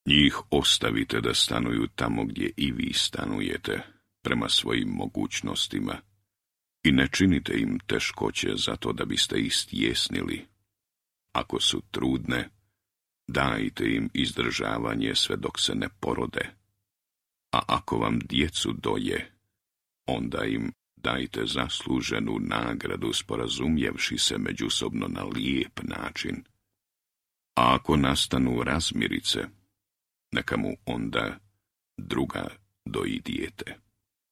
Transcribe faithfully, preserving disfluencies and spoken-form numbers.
Njih ostavite da stanuju tamo gdje i vi stanujete, prema svojim mogućnostima, i ne činite im teškoće zato da biste istjesnili. Ako su trudne, dajte im izdržavanje sve dok se ne porode, a ako vam djecu doje, onda im dajte zasluženu nagradu sporazumjevši se međusobno na lijep način. A ako nastanu razmirice, neka mu onda druga doji dijete.